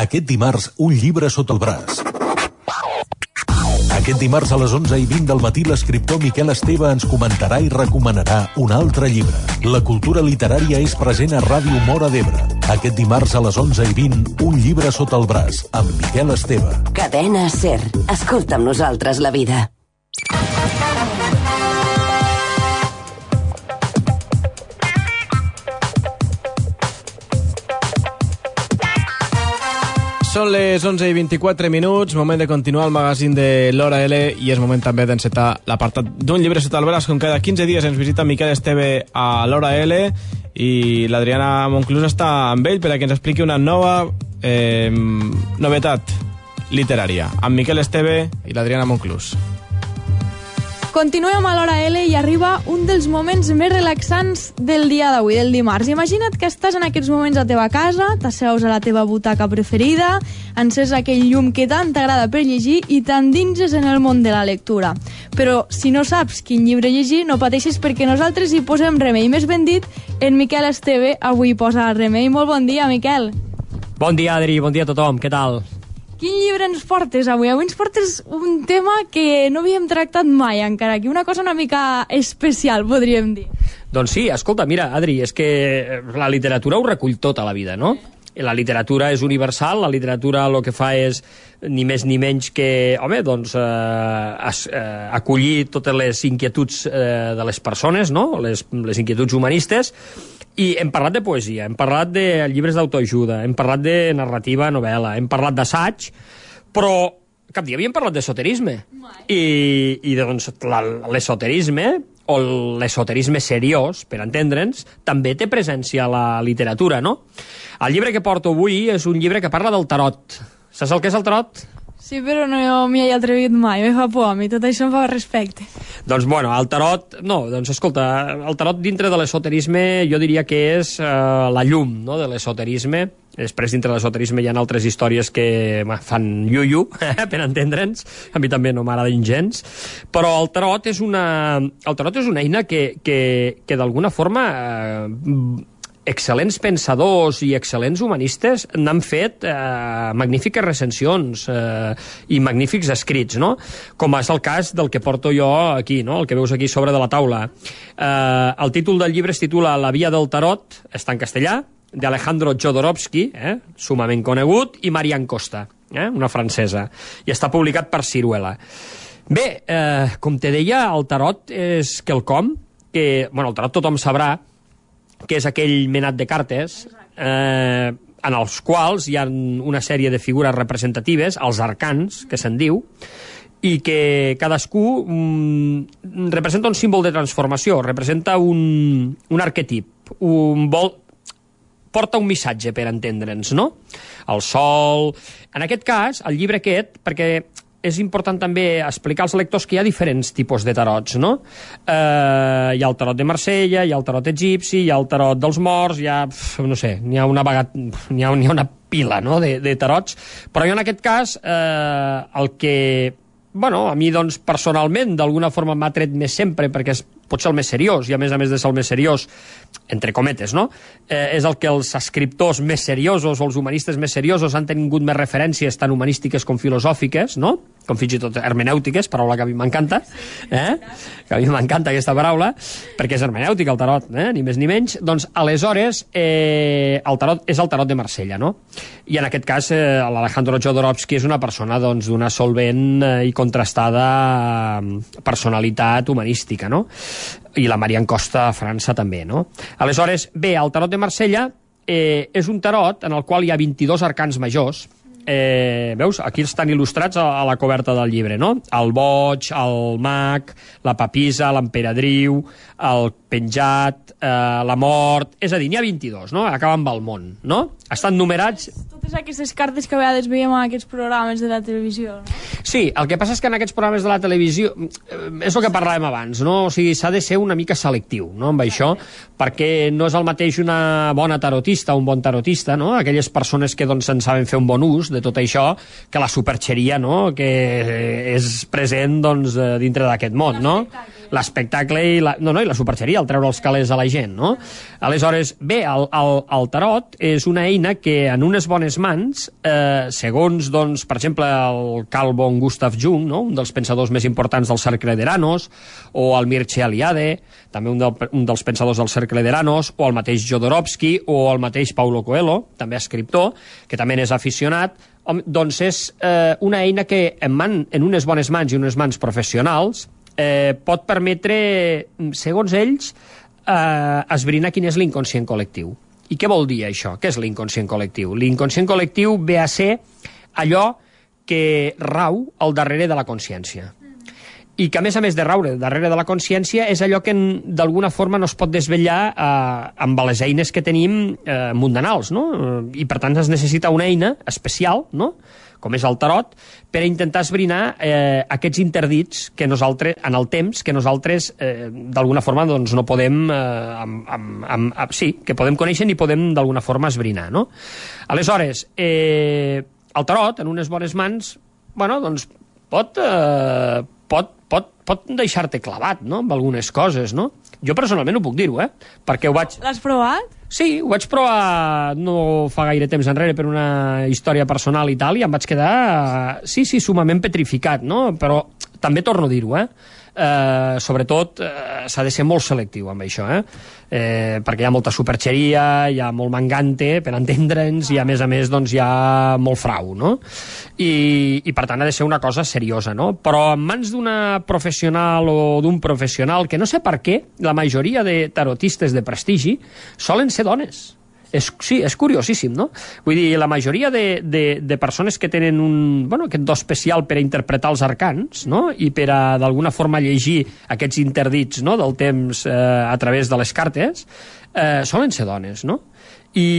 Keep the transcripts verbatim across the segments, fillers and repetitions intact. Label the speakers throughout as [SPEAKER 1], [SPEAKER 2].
[SPEAKER 1] Aquest dimarts, un llibre sota el braç. Aquest dimarts a les onze i vint del matí l'escriptor Miquel Esteve ens comentarà i recomanarà un altre llibre. La cultura literària és present a Ràdio Móra d'Ebre. Aquest dimarts a les onze i vint, un llibre sota el braç, amb Miquel Esteve.
[SPEAKER 2] Cadena SER. Escolta amb nosaltres la vida.
[SPEAKER 3] Són les onze i vint-i-quatre minuts, moment de continuar el magazín de l'Hora L i és moment també d'encetar l'apartat d'un llibre sota el braç. Com cada quinze dies ens visita Miquel Esteve a l'Hora L i l'Adriana Monclús està amb ell per a que ens expliqui una nova eh, novetat literària. Amb Miquel Esteve i l'Adriana Monclús.
[SPEAKER 4] Continuem a l'Hora L i arriba un dels moments més relaxants del dia d'avui, del dimarts. Imagina't que estàs en aquests moments a la teva casa, t'asseus a la teva butaca preferida, ences aquell llum que tant t'agrada per llegir i t'endinses en el món de la lectura. Però si no saps quin llibre llegir, no pateixis perquè nosaltres hi posem remei. Més ben dit, en Miquel Esteve avui posa remei. Molt bon dia, Miquel.
[SPEAKER 5] Bon dia, Adri, bon dia a tothom, què tal?
[SPEAKER 4] Quin llibre ens portes avui? Avui ens portes un tema que no havíem tractat mai encara, que una cosa una mica especial, podríem dir.
[SPEAKER 5] Doncs sí, escolta, mira, Adri, és que la literatura ho recull tota la vida, no? La literatura és universal, la literatura el que fa és ni més ni menys que, home, doncs, eh, es, eh, acollir totes les inquietuds eh, de les persones, no? Les, les inquietuds humanistes. I hem parlat de poesia, hem parlat de llibres d'autoajuda, hem parlat de narrativa, novel·la, hem parlat d'assaig, però cap dia havíem parlat d'esoterisme. I, i doncs l'esoterisme, o l'esoterisme seriós, per entendre'ns, també té presència a la literatura, no? El llibre que porto avui és un llibre que parla del tarot. Saps el que és el tarot?
[SPEAKER 4] Sí, però no m'hi he atrevit mai, me fa por a mi, tot això em fa respecte.
[SPEAKER 5] Doncs, bueno, el tarot, no, doncs, escolta, el tarot dintre de l'esoterisme jo diria que és eh, la llum, no?, de l'esoterisme. Després, dintre de l'esoterisme hi ha altres històries que fan iu-iu, per entendre'ns, a mi també no m'agraden gens, però el tarot és una, el tarot és una eina que, que, que d'alguna forma eh, excel·lents pensadors i excel·lents humanistes n'han fet eh, magnífiques recensions eh, i magnífics escrits, no? Com és el cas del que porto jo aquí, no? El que veus aquí sobre de la taula. Eh, el títol del llibre es titula La via del tarot, està en castellà, d'Alejandro Jodorowsky, eh, sumament conegut, i Marianne Costa, eh, una francesa, i està publicat per Siruela. Bé, eh, com te deia, el tarot és quelcom que, bueno, el tarot tothom sabrà que és aquell menat de cartes eh, en els quals hi ha una sèrie de figures representatives, els arcans, que se'n diu, i que cadascú mm, representa un símbol de transformació, representa un, un arquetip, un vol, porta un missatge, per entendre'ns, no? El sol... En aquest cas, el llibre aquest, perquè és important també explicar als lectors que hi ha diferents tipus de tarots, no? Eh, hi ha el tarot de Marsella, hi ha el tarot egipci, hi ha el tarot dels morts, hi ha, no sé, n'hi ha una vagat, n'hi ha, n'hi ha una pila, no?, de, de tarots, però jo en aquest cas eh, el que, bueno, a mi, doncs, personalment, d'alguna forma m'ha tret més sempre, perquè és pot ser el més seriós, i a més a més de ser el més seriós, entre cometes, no?, eh, és el que els escriptors més seriosos o els humanistes més seriosos han tingut més referències tant humanístiques com filosòfiques, no?, com fins i tot hermenèutiques, paraula que a mi m'encanta, eh? que a mi m'encanta aquesta paraula, perquè és hermenèutica el tarot, eh? ni més ni menys. Doncs aleshores eh, el tarot és el tarot de Marsella, no? I en aquest cas eh, l'Alejandro Jodorowsky és una persona doncs, d'una solvent eh, i contrastada personalitat humanística, no? I la Marianne Costa a França també, no? Aleshores, bé, el tarot de Marsella eh, és un tarot en el qual hi ha vint-i-dos arcans majors. Eh, veus? Aquí estan il·lustrats a, a la coberta del llibre, no? El boig, el mag, la papisa, l'emperadriu, el penjat, eh, la mort... És a dir, n'hi ha vint-i-dos, no? Acaba amb el món, no? Estan numerats...
[SPEAKER 4] Totes aquestes cartes que a vegades veiem en aquests programes de la televisió, no?
[SPEAKER 5] Sí, el que passa és que en aquests programes de la televisió eh, és el que parlàvem abans, no? O sigui, s'ha de ser una mica selectiu, no?, amb això, perquè no és el mateix una bona tarotista, un bon tarotista, no?, aquelles persones que doncs en saben fer un bon ús de tot això, que la superxeria, no?, que és present doncs dintre d'aquest món, no? l'espectacle i la, no, no, i la superxeria, el treure els calés a la gent, no? Aleshores, bé, el, el, el tarot és una eina que en unes bones mans, eh, segons, doncs, per exemple, el Carl von Gustav Jung, no? Un dels pensadors més importants del cercle d'Eranos, o el Mircea Eliade, també un, del, un dels pensadors del cercle d'Eranos, o el mateix Jodorowsky, o el mateix Paulo Coelho, també escriptor, que també és aficionat, doncs és eh, una eina que en, man, en unes bones mans i unes mans professionals eh, pot permetre, segons ells, eh, esbrinar quin és l'inconscient col·lectiu. I què vol dir això? Què és l'inconscient col·lectiu? L'inconscient col·lectiu ve a ser allò que rau al darrere de la consciència. I que, a més a més de raure darrere de la consciència, és allò que d'alguna forma no es pot desvetllar eh, amb les eines que tenim eh, mundanals, no? I, per tant, es necessita una eina especial, no?, com és el tarot, per intentar esbrinar eh, aquests interdits que nosaltres, en el temps, que nosaltres, eh, d'alguna forma, doncs, no podem... Eh, amb, amb, amb, amb, sí, que podem conèixer i podem, d'alguna forma, esbrinar, no? Aleshores, eh, el tarot, en unes bones mans, bueno, doncs, pot... Eh, pot pot, pot deixar-te clavat, no?, amb algunes coses, no? Jo personalment ho puc dir-ho, eh? Perquè ho vaig...
[SPEAKER 4] L'has provat?
[SPEAKER 5] Sí, ho vaig provar no fa gaire temps enrere per una història personal i tal, i em vaig quedar, sí, sí, sumament petrificat, no? Però també torno a dir-ho, eh? Eh, sobretot eh, s'ha de ser molt selectiu amb això, eh? Eh, perquè hi ha molta superxeria, hi ha molt mangante per entendre'ns, i a més a més doncs, hi ha molt frau, no? I, i per tant ha de ser una cosa seriosa, no? Però en mans d'una professional o d'un professional, que no sé per què la majoria de tarotistes de prestigi solen ser dones. És, sí, és curiosíssim, no? Vull dir, la majoria de, de, de persones que tenen un, bueno, aquest do especial per a interpretar els arcans, no?, i per a, d'alguna forma, llegir aquests interdits, no?, del temps eh, a través de les cartes, eh, solen ser dones, no? I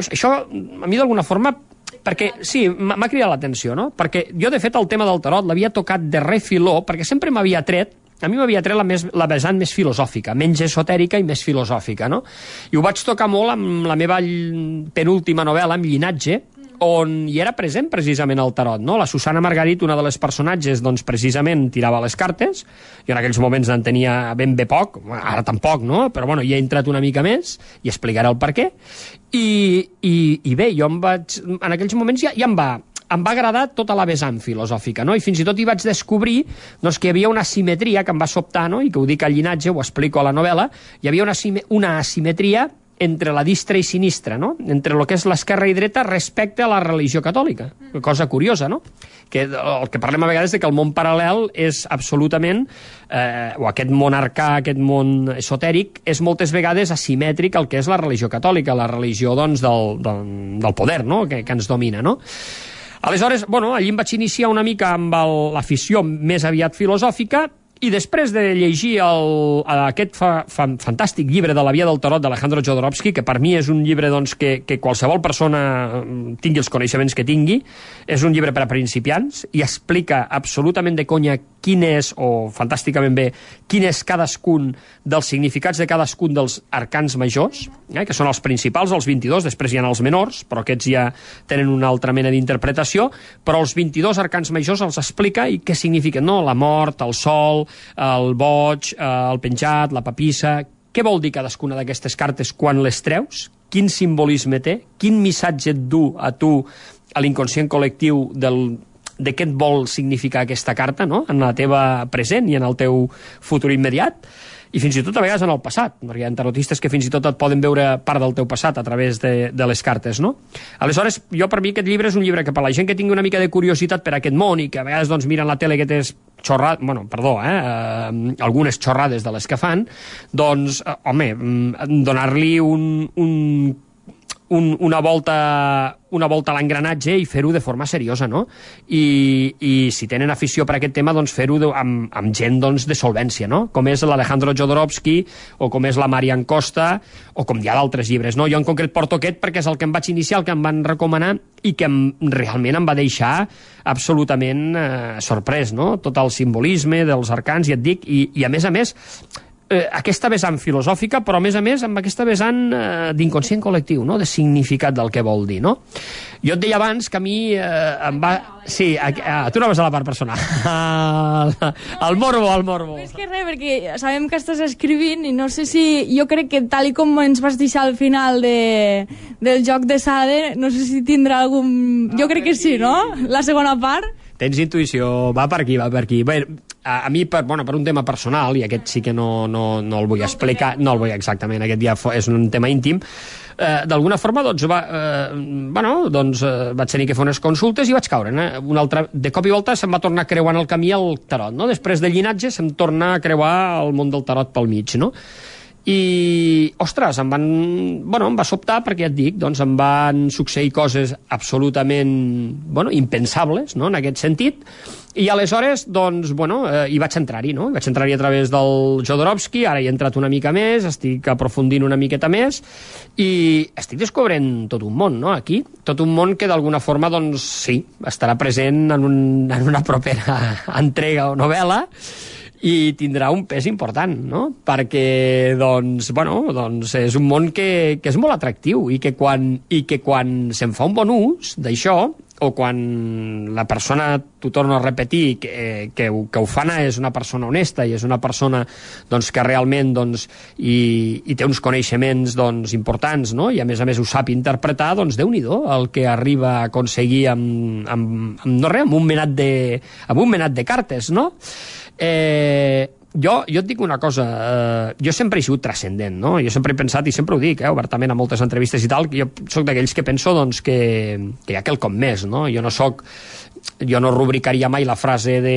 [SPEAKER 5] això, a mi, d'alguna forma, perquè, sí, m'ha cridat l'atenció, no? Perquè jo, de fet, el tema del tarot l'havia tocat de refiló, perquè sempre m'havia tret a mi m'havia tret la, més, la vessant més filosòfica, menys esotèrica i més filosòfica, no? I ho vaig tocar molt amb la meva penúltima novel·la, amb Llinatge, on hi era present precisament el tarot, no? La Susana Margarit, una de les personatges, doncs precisament tirava les cartes, jo en aquells moments en tenia ben bé poc, ara tampoc, no? Però bueno, hi he entrat una mica més i explicaré el per què. I, i, i bé, jo em vaig, en aquells moments ja, ja em va... em va agradar tota la vessant filosòfica, no? I fins i tot hi vaig descobrir doncs, que hi havia una asimetria que em va sobtar, no? I que ho dic al Llinatge, ho explico a la novel·la, hi havia una, una asimetria entre la distra i sinistra, no? Entre el que és l'esquerra i dreta respecte a la religió catòlica. Cosa curiosa, no? Que el que parlem a vegades de que el món paral·lel és absolutament, eh, o aquest món arcà, aquest món esotèric, és moltes vegades asimètric al que és la religió catòlica, la religió, doncs, del, del, del poder, no?, que, que ens domina, no? Aleshores, bueno, allí em vaig iniciar una mica amb l'afició més aviat filosòfica, i després de llegir el, aquest fa, fa, fantàstic llibre de la Via del Tarot d'Alejandro Jodorowsky, que per mi és un llibre doncs, que, que qualsevol persona tingui els coneixements que tingui, és un llibre per a principiants i explica absolutament de conya quin és, o fantàsticament bé, quin és cadascun dels significats de cadascun dels arcans majors, eh, que són els principals, els vint-i-dos, després hi ha els menors, però aquests ja tenen una altra mena d'interpretació, però els vint-i-dos arcans majors els explica i què signifiquen, no? La mort, el sol, el boig, el penjat, la papissa... Què vol dir cadascuna d'aquestes cartes quan les treus? Quin simbolisme té? Quin missatge et du a tu, a l'inconscient col·lectiu del, de què et vol significar aquesta carta, no?, en la teva present i en el teu futur immediat? I fins i tot a vegades en el passat, perquè hi ha tarotistes que fins i tot et poden veure part del teu passat a través de, de les cartes, no? Aleshores, jo per mi aquest llibre és un llibre que per la gent que tingui una mica de curiositat per aquest món i que a vegades doncs, miren la tele que tens xorrades, bueno, perdó, eh, eh, algunes xorrades de les que fan, doncs, eh, home, donar-li un, un, un, una volta una volta a l'engranatge i fer-ho de forma seriosa, no? I, i si tenen afició per aquest tema, doncs fer-ho amb, amb gent doncs, de solvència, no? Com és l'Alejandro Jodorowsky, o com és la Marian Costa, o com hi ha d'altres llibres, no? Jo en concret porto aquest perquè és el que em vaig iniciar, el que em van recomanar i que em, realment em va deixar absolutament eh, sorprès, no? Tot el simbolisme dels arcans, i et dic, i, i a més a més eh, aquesta vessant filosòfica, però a més a més amb aquesta vessant eh, d'inconscient col·lectiu, no? De significat del que vol dir, no? Jo et deia abans que a mi eh, em va... Sí, a, a, tu no vas a la part personal. El morbo, el morbo.
[SPEAKER 4] És que res, perquè sabem que estàs escrivint i no sé si... Jo crec que tal i com ens vas deixar al final de, del joc de Sade, no sé si tindrà algun... Jo crec que sí, no? La segona part...
[SPEAKER 5] Tens intuïció, va per aquí, va per aquí. Bé, a, a mi, per, bueno, per un tema personal, i aquest sí que no, no, no el vull explicar, no el vull exactament, aquest ja és un tema íntim, eh, d'alguna forma, doncs, va, eh, bueno, doncs, eh, vaig tenir que fer unes consultes i vaig caure. Eh? Un altre, de cop i volta se'm va tornar creuant el camí al tarot, no? Després del llinatge se'm torna a creuar el món del tarot pel mig, no? I, ostres, em van... Bueno, em va sobtar perquè, ja et dic, doncs em van succeir coses absolutament, bueno, impensables, no?, en aquest sentit, i aleshores, doncs, bueno, eh, hi vaig entrar-hi, no?, hi vaig entrar-hi a través del Jodorowsky, ara hi he entrat una mica més, estic aprofundint una miqueta més, i estic descobrint tot un món, no?, aquí, tot un món que d'alguna forma, doncs, sí, estarà present en, un, en una propera entrega o novel·la, i tindrà un pes important, no? Perquè, doncs, bueno, doncs és un món que, que és molt atractiu i que quan, i que quan se'n fa un bon ús d'això, o quan la persona, t'ho torno a repetir, que, que, que ho fa és una persona honesta i és una persona doncs, que realment doncs, i, i té uns coneixements doncs, importants, no? I a més a més ho sap interpretar, doncs Déu-n'hi-do el que arriba a aconseguir amb, amb, amb, no res, amb un menat de, amb un menat de cartes, no? Eh, jo, jo et dic una cosa, eh, jo sempre he sigut transcendent, no? Jo sempre he pensat, i sempre ho dic, eh, obertament a moltes entrevistes i tal, que jo soc d'aquells que penso doncs, que, que hi ha quelcom més, no? Jo no soc, jo no rubricaria mai la frase de,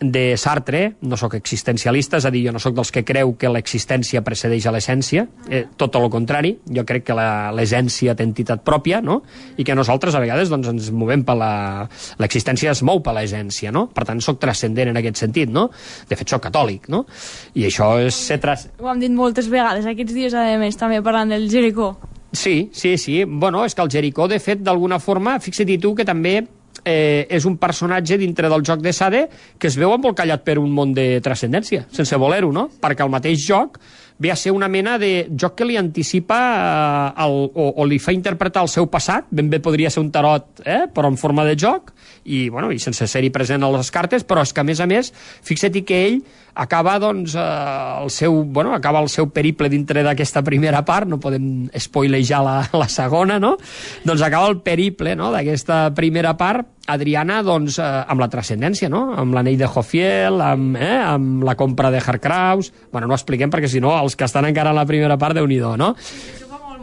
[SPEAKER 5] de Sartre, no sóc existencialista, és a dir, jo no sóc dels que creu que l'existència precedeix a l'essència, eh, tot el contrari, jo crec que l'essència té entitat pròpia, no? I que nosaltres a vegades doncs, ens movem per la... l'existència es mou per l'essència, no? Per tant, sóc transcendent en aquest sentit, no? De fet, sóc catòlic, no? I això és ser... Tras...
[SPEAKER 4] Ho hem dit moltes vegades, aquests dies, a més, també parlant del Jericó.
[SPEAKER 5] Sí, sí, sí. Bueno, és que el Jericó, de fet, d'alguna forma, fixa't tu que també eh, és un personatge dintre del joc de Sade que es veu embolcallat per un món de transcendència, sense voler-ho, no? Perquè el mateix joc ve a ser una mena de joc que li anticipa eh, el, o, o li fa interpretar el seu passat, ben bé podria ser un tarot, eh, però en forma de joc, i, bueno, i sense ser-hi present a les cartes, però és que, a més a més, fixa-t'hi que ell acaba, doncs, eh, el seu, bueno, acaba el seu periple dintre d'aquesta primera part, no podem spoilejar la, la segona, no? Doncs acaba el periple, no?, d'aquesta primera part, Adriana, doncs, eh, amb la transcendència, no?, amb l'anell de Jophiel, amb, eh, amb la compra de Harkraus. Bueno, no ho expliquem perquè, si no, els que estan encara en la primera part, Déu-n'hi-do, no?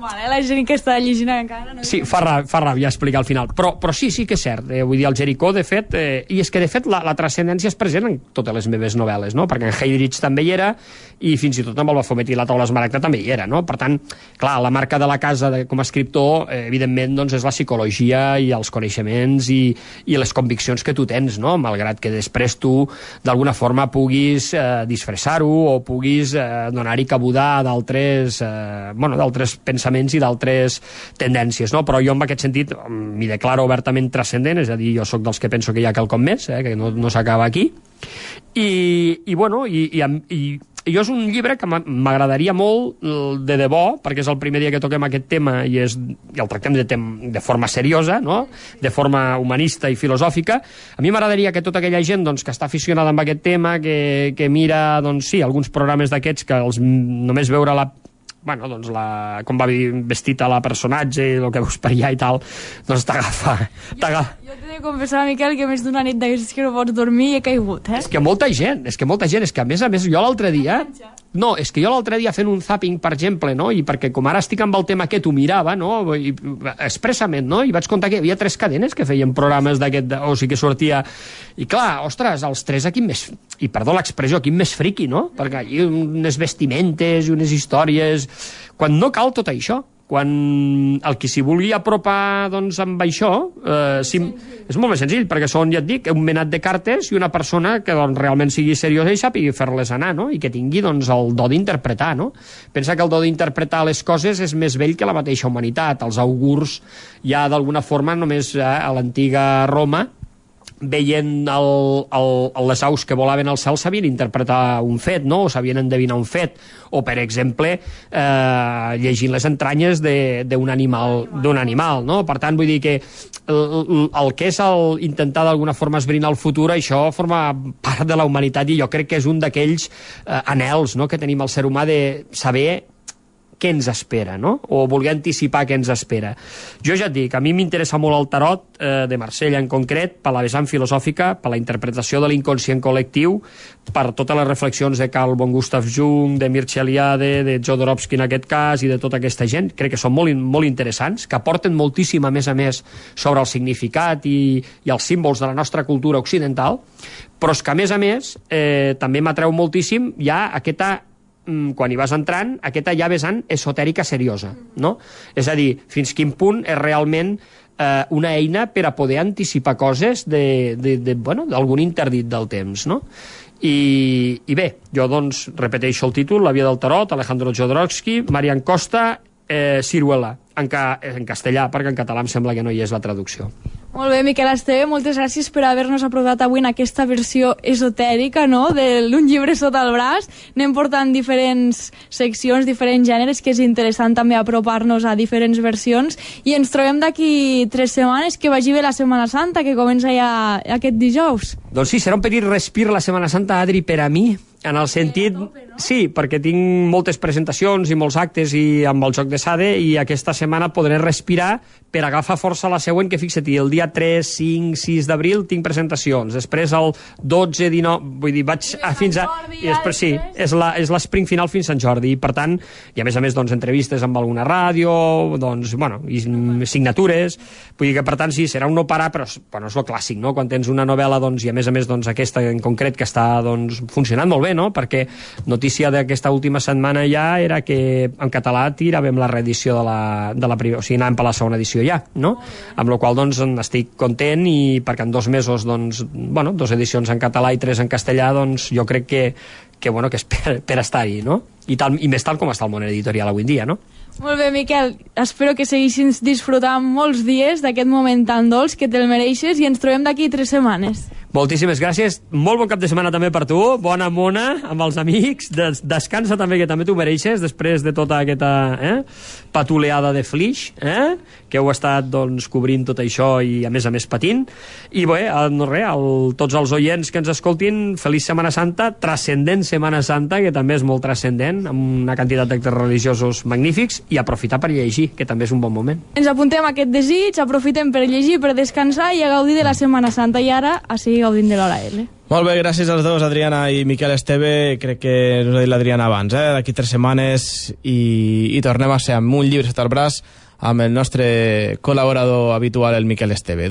[SPEAKER 4] Mal, eh? La gent que està llegint encara... No
[SPEAKER 5] sí, fa ràbia, fa ràbia explicar al final. Però, però sí, sí que és cert. Eh, vull dir, el Jericó, de fet... Eh, I és que, de fet, la, la transcendència és present en totes les meves novel·les, no? Perquè en Heydrich també hi era, i fins i tot amb el Baphomet i la taula esmaragda també hi era, no? Per tant, clar, la marca de la casa de, com a escriptor, eh, evidentment, doncs, és la psicologia i els coneixements i, i les conviccions que tu tens, no? Malgrat que després tu, d'alguna forma, puguis eh, disfressar-ho o puguis eh, donar-hi cabuda a d'altres eh, bueno, d'altres pensaments i d'altres tendències, no? Però jo en aquest sentit m'hi declaro obertament transcendent, és a dir, jo sóc dels que penso que hi ha quelcom més, eh? Que no, no s'acaba aquí, i, i bueno, i, i, i, i jo és un llibre que m'agradaria molt de debò, perquè és el primer dia que toquem aquest tema i, és, i el tractem de, tem, de forma seriosa, no? De forma humanista i filosòfica. A mi m'agradaria que tota aquella gent doncs, que està aficionada amb aquest tema, que, que mira, doncs sí, alguns programes d'aquests que els, només veure la bueno, doncs la, com va vestit a la personatge i el que veus per allà i tal, doncs t'agafa. Jo,
[SPEAKER 4] jo t'he de confessar, Miquel, que més d'una nit d'aquestes que no pots dormir i he caigut, eh?
[SPEAKER 5] És que molta gent, és que molta gent, és que a més a més jo l'altre dia... No, és que jo l'altre dia fent un zapping, per exemple, no? I perquè com ara estic amb el tema aquest ho mirava, no? I, expressament, no? I vaig comptar que hi havia tres cadenes que feien programes d'aquest... O sigui que sortia... I clar, ostres, els tres aquí més... I perdó l'expressió, aquí més friqui, no? Perquè hi ha unes vestimentes i unes històries... Quan no cal tot això, quan el qui s'hi vulgui apropar doncs, amb això, eh, si, és molt més senzill, perquè són, ja et dic, un menat de cartes i una persona que doncs, realment sigui seriosa i sàpigui fer-les anar, no? I que tingui doncs, el do d'interpretar, no? Pensa que el do d'interpretar les coses és més vell que la mateixa humanitat. Els augurs ja d'alguna forma només eh, a l'antiga Roma veient el, el, les aus que volaven al cel sabien interpretar un fet, no? O sabien endevinar un fet, o per exemple eh, llegint les entranyes d'un animal, d'un animal, no? Per tant, vull dir que el, el que és el intentar d'alguna forma esbrinar el futur, això forma part de la humanitat, i jo crec que és un d'aquells eh, anhels, no?, que tenim el ser humà de saber què ens espera, no? O voler anticipar què ens espera. Jo ja et dic, a mi m'interessa molt el tarot, eh, de Marsella en concret, per la vessant filosòfica, per la interpretació de l'inconscient col·lectiu, per totes les reflexions de Carl von Gustav Jung, de Mircea Eliade, de Jodorowsky en aquest cas, i de tota aquesta gent. Crec que són molt, molt interessants, que aporten moltíssim, a més a més, sobre el significat i, i els símbols de la nostra cultura occidental, però és que, a més a més, eh, també m'atreu moltíssim ja aquesta, quan hi vas entrant, aquesta ja vessant esotèrica seriosa, no? És a dir, fins quin punt és realment eh, una eina per a poder anticipar coses de, de, de, bueno, d'algun interdit del temps, no? I, i bé, jo doncs repeteixo el títol, La via del tarot, Alejandro Jodorowsky, Marian Costa, eh, Ciruela, en, ca, en castellà, perquè en català em sembla que no hi és la traducció.
[SPEAKER 4] Molt bé, Miquel Esteve, moltes gràcies per haver-nos aprovat avui en aquesta versió esotèrica, no?, d'un llibre sota el braç. Anem portant diferents seccions, diferents gèneres, que és interessant també apropar-nos a diferents versions, i ens trobem d'aquí tres setmanes, que vagi bé la Setmana Santa, que comença ja aquest dijous.
[SPEAKER 5] Doncs sí, serà un petit respir la Setmana Santa, Adri, per a mi, en el sentit... Sí, perquè tinc moltes presentacions i molts actes i amb el Joc de Sade, i aquesta setmana podré respirar per agafar força la següent, que fixa't, el dia tres, cinc, sis d'abril tinc presentacions, després el dotze, dinou, vull dir, vaig a, fins a... I després sí, és la, és l'esprint final fins a Sant Jordi, i per tant, i a més a més, doncs, entrevistes amb alguna ràdio, doncs, bueno, i signatures, vull dir que per tant sí, serà un no parar, però bueno, és el clàssic, no?, quan tens una novel·la, doncs, i a més a més, doncs, aquesta en concret que està, doncs, funcionant molt bé, no?, perquè notícia d'aquesta última setmana ja era que en català tiràvem la reedició de la, de la primera, o sigui, anàvem per la segona edició ja, no? Amb la qual cosa, doncs, estic content, i perquè en dos mesos, doncs, bueno, dos edicions en català i tres en castellà, doncs, jo crec que, que bueno, que és per, per estar-hi, no? I, tal, i més tal com està el món editorial avui en dia, no?
[SPEAKER 4] Molt bé, Miquel, espero que segueixin disfrutant molts dies d'aquest moment tan dolç, que te'l mereixes, i ens trobem d'aquí tres setmanes.
[SPEAKER 5] Moltíssimes gràcies, molt bon cap de setmana també per tu, bona mona amb els amics, Des descansa també, que també t'ho mereixes després de tota aquesta eh, patuleada de Flix, eh, que heu estat, doncs, cobrint tot això i a més a més patint, i bé, no res, el, tots els oients que ens escoltin, feliç Setmana Santa, transcendent Setmana Santa, que també és molt transcendent, amb una quantitat d'actes religiosos magnífics, i aprofitar per llegir, que també és un bon moment.
[SPEAKER 4] Ens apuntem a aquest desig, aprofitem per llegir, per descansar i a gaudir de la Setmana Santa, i ara a seguir gaudint de l'Hora L.
[SPEAKER 3] Molt bé, gràcies als dos, Adriana i Miquel Esteve. Crec que us ha dit l'Adriana abans, eh? D'aquí tres setmanes, i, i tornem a ser amb un llibre sota el braç amb el nostre col·laborador habitual, el Miquel Esteve.